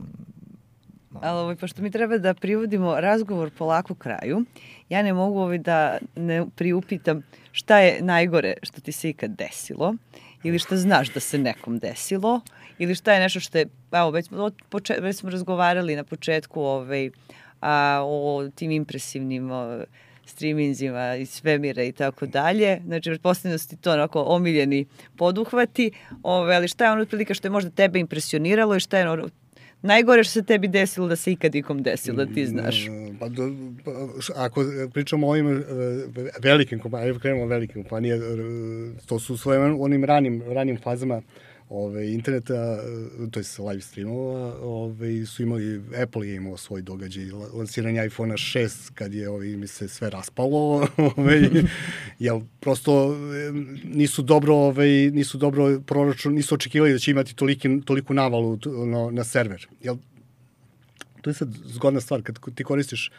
Ali pošto mi treba da privodimo razgovor polako kraju, ja ne mogu da ne priupitam šta je najgore što ti se ikad desilo, ili šta znaš da se nekom desilo, ili šta je nešto što je, već smo razgovarali na početku o tim impresivnim streaminzima iz svemira i tako dalje. Znači, pretpostavljam da su ti to onako omiljeni poduhvati, ali šta je ono otprilike što je možda tebe impresioniralo i šta je najgore što se tebi desilo da se ikad ikom desilo, da ti znaš? Ako pričamo o ovim velikim kompanijama, krenemo velikim kompanijama, to su svojim onim ranim fazama interneta, to je live streamova, su imali, Apple je imao svoj događaj, lansiranje iPhone 6 kad je mi se sve raspalo, jer prosto nisu dobro proračun, nisu očekivali da će imati toliku navalu na server. To je sad zgodna stvar, kad ti koristiš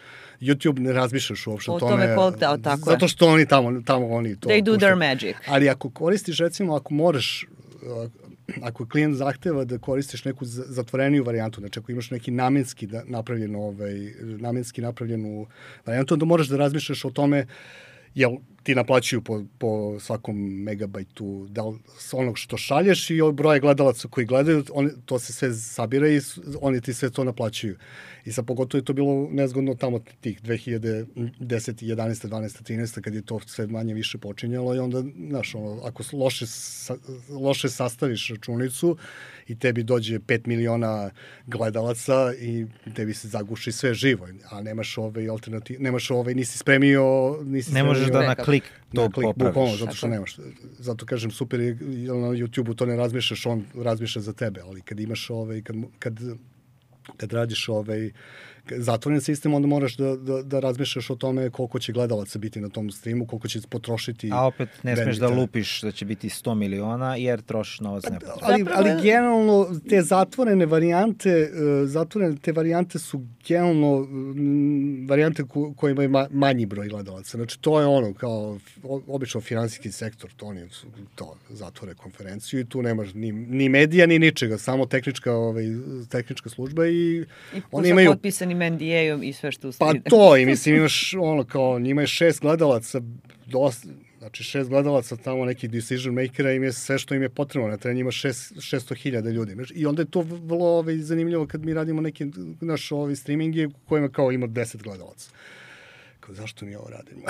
YouTube, ne razmišljaš uopšte o tome. Tako zato što oni tamo oni to... They do their magic. Ali ako koristiš, recimo, ako klijent zahteva da koristiš neku zatvoreniju varijantu, znači ako imaš neki namenski napravljenu varijantu, onda moraš da razmišljaš o tome, jel ti naplaćuju po svakom megabajtu onog što šalješ i broje gledalaca koji gledaju, to se sve sabira i oni ti sve to naplaćuju. I sad pogotovo je to bilo nezgodno tamo tih 2010, 11, 12, 13, kad je to sve manje više počinjalo i onda, znaš, ako loše sastaviš računicu i tebi dođe 5 miliona gledalaca i tebi se zaguši sve živo, a nemaš alternativ, nemaš nisi spremio... Ne možeš da na klik to popraviš. Bukvalno, zato što nemaš. Zato kažem, super je, na YouTube-u to ne razmišljaš, on razmišlja za tebe, ali kad imaš kad radiš zatvoren sistem, onda moraš da razmišljaš o tome koliko će gledalaca biti na tom streamu, koliko će potrošiti... A opet ne smeš da lupiš da će biti 100 miliona, jer trošiš novac nepotrebno. Ali generalno te zatvorene varijante su generalno varijante koje imaju manji broj gledalaca. Znači, to je ono, kao obično finansijski sektor, to oni zatvore konferenciju i tu nemaš ni medija, ni ničega, samo tehnička služba i oni imaju... potpisanim NDA-om i sve što usledi. Pa to, i mislim imaš njima je 6 gledalaca, znači 6 gledalaca tamo nekih decision makera, im je sve što im je potrebno, na terenu ima 600.000 ljudi. I onda je to vrlo zanimljivo kad mi radimo neke naš streaminge kojima kao ima 10 gledalaca. Kao, zašto mi ovo radimo?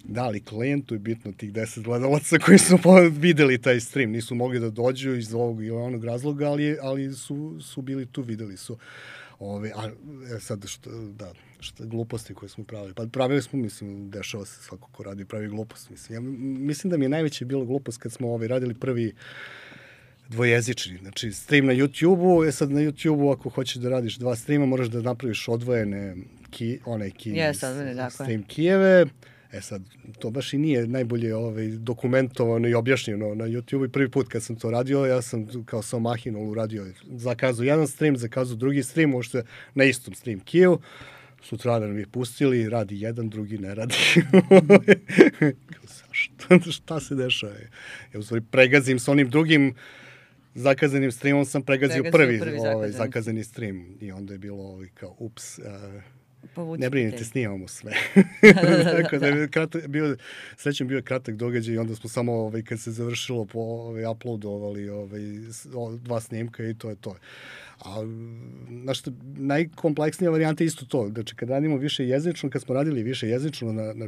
Da, ali klijentu je bitno tih 10 gledalaca koji su videli taj stream. Nisu mogli da dođu iz ovog ili onog razloga, ali su bili tu, videli su. Sad, što gluposti koje smo pravili. Pa pravili smo, mislim, dešava se svako ko radi pravi gluposti. Mislim da mi je najveće bilo glupost kad smo radili prvi dvojezični. Znači, stream na YouTube-u, sad na YouTube-u ako hoćeš da radiš 2 streama, moraš da napraviš odvojene stream kijeve. Sad, to baš i nije najbolje dokumentovano i objašnjeno na YouTube-u i prvi put kad sam to radio, ja sam kao sam mahinol uradio, zakazao jedan stream, zakazao drugi stream, možda na istom stream kijevu, sutradan mi je pustili, radi jedan, drugi ne radi. Šta se dešava? Ja u stvari pregazim s onim drugim zakazanim streamom, sam pregazio prvi zakazani stream i onda je bilo kao ups, ne brinite, snimamo sve. Tako da je srećem bio kratak događaj i onda smo samo kad se završilo uploadovali 2 snimka i to je to. A najkompleksnija varijanta je isto to. Znači, kad radimo više jezično, kad smo radili više jezično na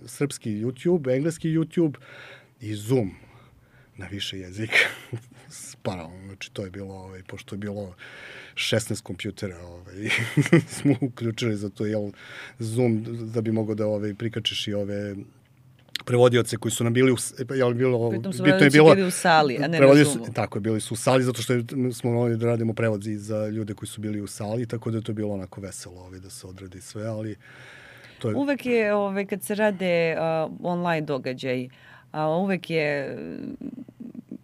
srpski YouTube, engleski YouTube i Zoom na više jezika. Paralelno. Znači, to je bilo, pošto je bilo 16 kompjutera, smo uključili za to, Zoom, da bi mogao da prikačiš i prevodioce koji su nam bili pritom su bili u sali, a ne na Zoomu. Tako je, bili su u sali, zato što smo mogli da radimo prevodi za ljude koji su bili u sali, tako da je to bilo onako veselo da se odradi sve, ali to je... Uvek je, kad se rade online događaj, uvek je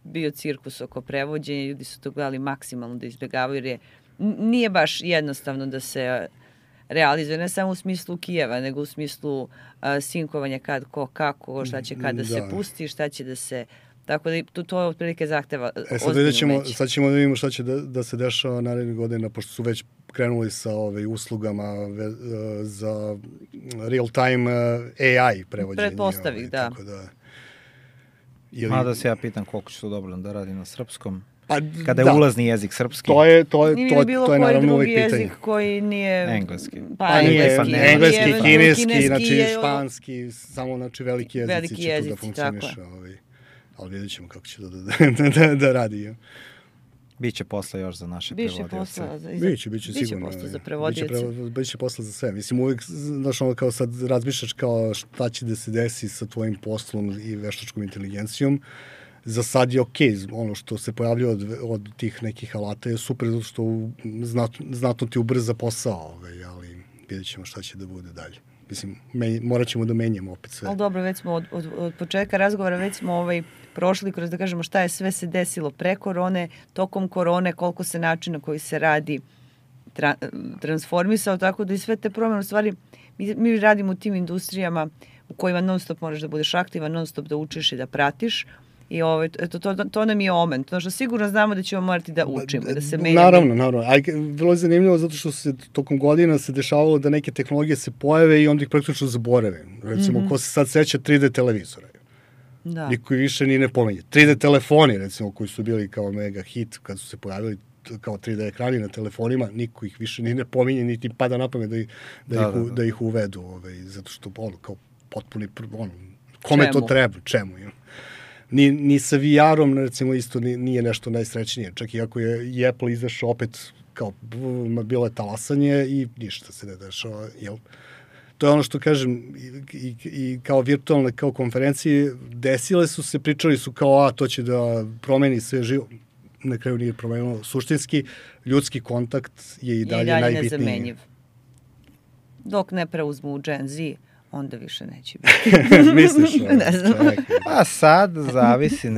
bio cirkus oko prevođenja, ljudi su to gledali maksimalno da izbjegavaju, jer nije baš jednostavno da se realizuje, ne samo u smislu Kijeva, nego u smislu sinkovanja kad, ko, kako, šta će kada se pusti, šta će da se... Tako da to otprilike zahteva ozbiljno umeće. Sad ćemo da vidimo šta će da se dešava narednih godina, pošto su već krenuli sa uslugama za real-time AI prevođenje. Pretpostavih, da. Tako da... Mada se ja pitam koliko će to dobro da radi na srpskom. Kada je ulazni jezik srpski. To je naravno uvijek pitanje. Jezik koji nije... Engleski. Engleski, kineski, znači španski, samo veliki jezici će tu da funkcioniše. Ali vidjet ćemo kako će to da radi. Biće posla još za naše prevodioce. Biće sigurno. Biće posla za prevodioce. Biće posla za sve. Mislim, uvijek, znaš, kao sad razmišljaš kao šta će da se desi sa tvojim poslom i veštačkom inteligencijom. Za sad je okej, ono što se pojavljuje od tih nekih alata je super, zato što znatno ti ubrza posao, ali vidjet ćemo šta će da bude dalje. Mislim, morat ćemo da menjamo opet sve. Ali dobro, već smo od početka razgovora, već smo prošli kroz da kažemo šta je sve se desilo pre korone, tokom korone, koliko se načina koji se radi transformisao, tako da i sve te promjene, u stvari, mi radimo u tim industrijama u kojima non stop moraš da budeš aktivan, non stop da učiš i da pratiš I to nam je omen. To što sigurno znamo da ćemo morati da učimo, da se menjamo. Naravno. A bilo je zanimljivo zato što se tokom godina se dešavalo da neke tehnologije se pojave i onda ih praktično zaborave. Recimo, ko se sad seća 3D televizora. Da. Niko više ni ne pomenje. 3D telefoni, recimo, koji su bili kao mega hit kad su se pojavili kao 3D ekrani na telefonima, niko ih više ni ne pominje, niti pada na pamet da ih uvedu, zato što kao potpuni, kome to treba, čemu. Ni sa VR-om, recimo, isto nije nešto najsrećnije. Čak i ako je i Apple izašao opet, kao, bilo je talasanje i ništa se ne dešava, jel? To je ono što kažem, i kao virtualne, kao konferencije, desile su se, pričali su kao, to će da promeni sve živo. Na kraju nije promenilo. Suštinski, ljudski kontakt je i dalje najbitniji. Nezamenjiv. Dok ne preuzmu Gen Z, onda više neće biti. Misliš? Ne znam. Pa sad zavisi,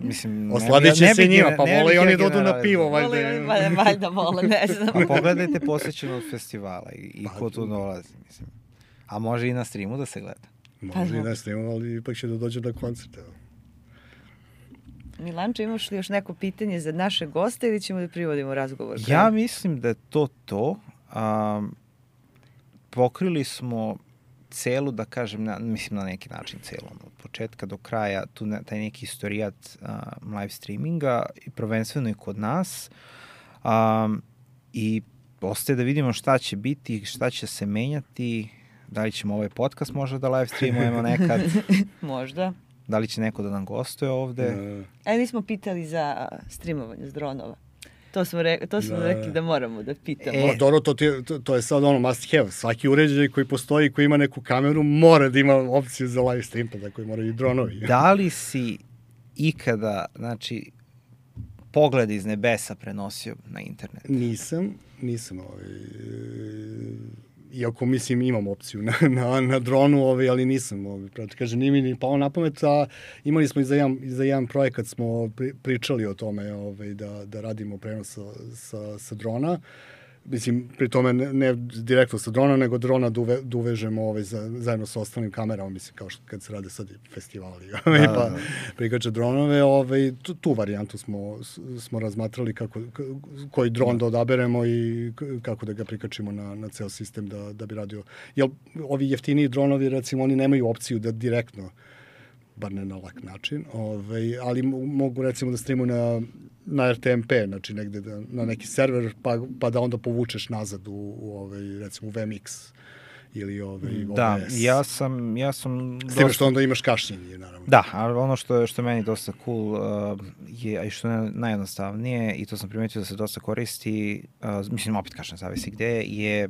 mislim... Osladit će se njima, pa vole i oni da odu na pivo, Valjda vole, ne znam. Pa pogledajte posvećenost festivala i ko tu dolazi, mislim. A može i na streamu da se gleda. Može i na streamu, ali ipak će da dođe na koncerte. Milanče, imaš li još neko pitanje za naše goste ili ćemo da privodimo razgovor? Ja mislim da je to. Pokrili smo celu, da kažem, mislim na neki način celu, od početka do kraja, taj neki istorijat live streaminga, i prvenstveno i kod nas. I ostaje da vidimo šta će biti, šta će se menjati, da li ćemo ovaj podcast možda da live streamujemo nekad. Možda. Da li će neko da nam gostuje ovde? Nismo pitali za streamovanje s dronova. To smo rekli da moramo da pitamo. Dobro, to je sad must have. Svaki uređaj koji postoji, koji ima neku kameru, mora da ima opciju za live stream, pa da koji moraju i dronovi. Da li si ikada, znači, pogled iz nebesa prenosio na internet? Nisam. Iako, mislim, imam opciju na dronu, ali nisam. Kažem, nije mi ni pao na pamet, a imali smo i za jedan projekat smo pričali o tome da radimo prenos sa drona. Mislim, pri tome ne direktno sa drona, nego drona da uvežemo zajedno sa ostalim kamerama, mislim, kao što kad se rade sad festivali, pa prikače dronove. Tu varijantu smo razmatrali koji dron da odaberemo i kako da ga prikačimo na ceo sistem da bi radio. Jer ovi jeftiniji dronovi, recimo, oni nemaju opciju da direktno, bar ne na lak način, ali mogu, recimo, da streamuju na RTMP, znači negde na neki server, pa da onda povučeš nazad recimo u VMX ili OBS. Da, ja sam s tim što onda imaš kašnjenje, naravno. Da, ali ono što je meni dosta cool je, a i što je najjednostavnije, i to sam primetio da se dosta koristi, mislim, opet kažem, zavisi gde, je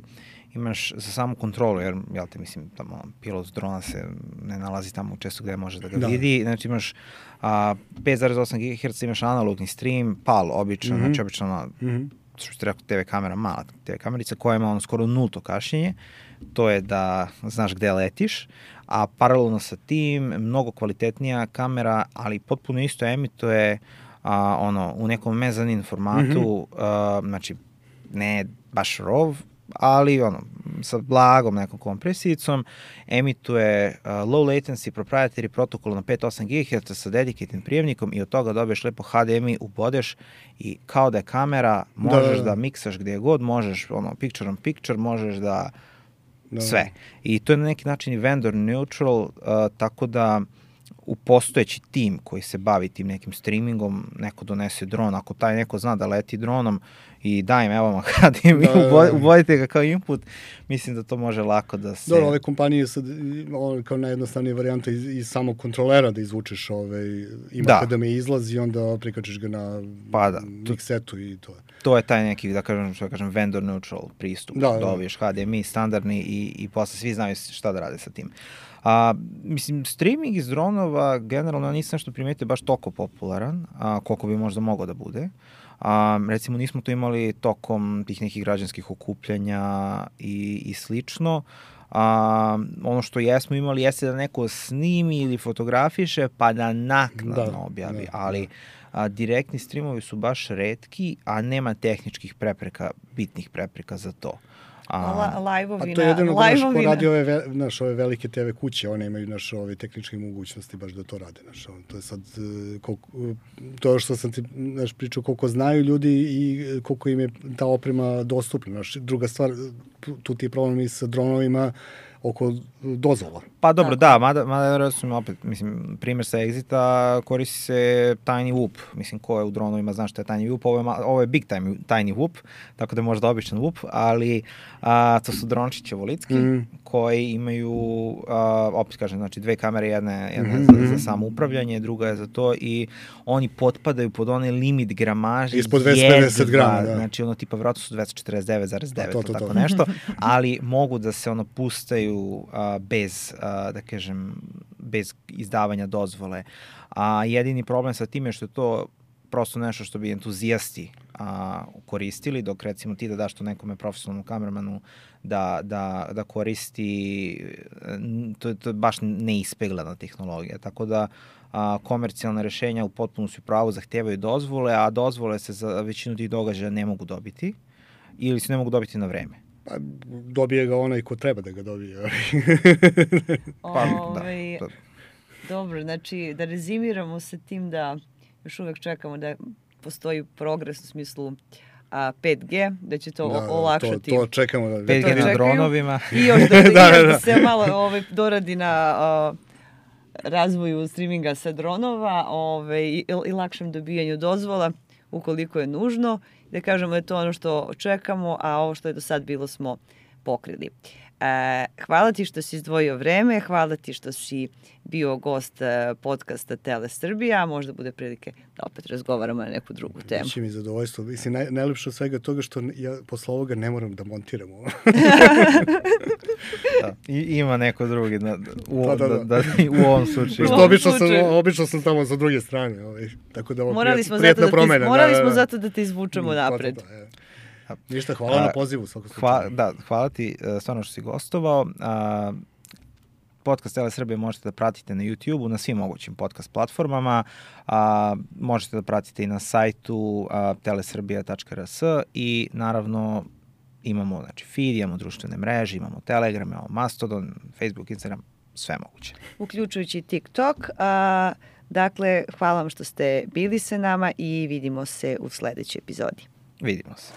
imaš za samu kontrolu, jer, jel te, mislim, tamo pilot drona se ne nalazi tamo često gde može da ga vidi, znači imaš 5,8 GHz, imaš analogni stream, PAL, obično, znači obično što ste rekao, TV kamera, mala TV kamerica koja ima skoro nulto kašnjenje, to je da znaš gde letiš, a paralelno sa tim mnogo kvalitetnija kamera, ali potpuno isto emituje u nekom mezanin formatu, znači ne baš RAW, ali sa blagom nekom kompresijicom, emituje low latency proprietary protokol na 5.8 GHz sa dedicated prijemnikom i od toga dobiješ lepo HDMI, ubodeš i kao da je kamera, možeš da miksaš gdje god, možeš picture on picture, možeš da sve. I to je na neki način i vendor neutral, tako da u postojeći tim koji se bavi tim nekim streamingom, neko donese dron, ako taj neko zna da leti dronom i daj im, evo vam HDMI, ubodite ga kao input, mislim da to može lako da se... Dobro, ove kompanije sad, kao najjednostavnija varijanta iz samog kontrolera da izvučeš, ima HDMI izlaz i onda prikačiš ga na mixetu i to je. To je taj neki, da kažem, vendor neutral pristup. Dobiješ HDMI standardni i posle svi znaju šta da rade sa tim. Mislim, streaming iz dronova generalno nisam nešto primetio baš toliko popularan, koliko bi možda mogao da bude. Recimo, nismo to imali tokom tih nekih građanskih okupljanja i slično. Ono što jesmo imali jeste da neko snimi ili fotografiše pa da naknadno objavi, ali direktni streamovi su baš retki, a nema tehničkih prepreka, bitnih prepreka za to. Live-ovina. Pa to je jedino da ko radi ove velike TV kuće, one imaju ove tehničke mogućnosti baš da to rade. To je sad, to što sam ti pričao, koliko znaju ljudi i koliko im je ta oprema dostupna. Druga stvar, tu ti je problem i sa dronovima oko dozvola. Pa dobro, da, mada opet, mislim, primjer sa Exita, koristi se Tiny Whoop. Mislim, ko je u dronovima zna što je Tiny Whoop, ovo je Big Tiny Whoop, tako da je možda običan Whoop, ali to su drončići ovolitski, koji imaju, opet kažem, znači 2 kamere, jedna za samo upravljanje, druga je za to i oni potpadaju pod onaj limit gramaže. Ispod 250 grama, da. Znači, ono tipa, vratno su 249,9, tako nešto, ali mogu da se pustaju bez, da kažem, bez izdavanja dozvole. Jedini problem sa tim je što je to prosto nešto što bi entuzijasti koristili, dok recimo ti da daš to nekome profesionalnom kamermanu da koristi, to je baš neispeglana tehnologija, tako da komercijalne rešenja u potpunosti u pravu zahtevaju dozvole, a dozvole se za većinu tih događaja ne mogu dobiti ili se ne mogu dobiti na vreme. Pa, dobije ga onaj ko treba da ga dobije. Dobro, znači da rezimiramo sa tim da još uvek čekamo da postoji progres u smislu 5G, da će to olakšati. To čekamo. 5G na dronovima. I još da se malo doradi na razvoju streaminga sa dronova i lakšem dobijanju dozvola ukoliko je nužno. Da kažemo da je to ono što čekamo, a ovo što je do sad bilo smo pokrili. Hvala ti što si izdvojio vreme, hvala ti što si bio gost podcasta Tele Srbija, možda bude prilike da opet razgovaramo na neku drugu temu. Biće mi zadovoljstvo. Mislim, najlepše od svega toga što ja posle ovoga ne moram da montiram ovo. Ima neko drugi u ovom slučaju. Obično sam tamo sa druge strane. Tako da ovo prijetna promena. Morali smo zato da te izvučemo napred. Ništa, hvala na pozivu. Hvala ti stvarno što si gostovao. Podcast Tele Srbije možete da pratite na YouTube-u, na svim mogućim podcast platformama. Možete da pratite i na sajtu telesrbija.rs i naravno imamo feed, imamo društvene mreže, imamo Telegram, imamo Mastodon, Facebook, Instagram, sve moguće. Uključujući TikTok. Dakle, hvala vam što ste bili sa nama i vidimo se u sledećoj epizodi. Vidimo se.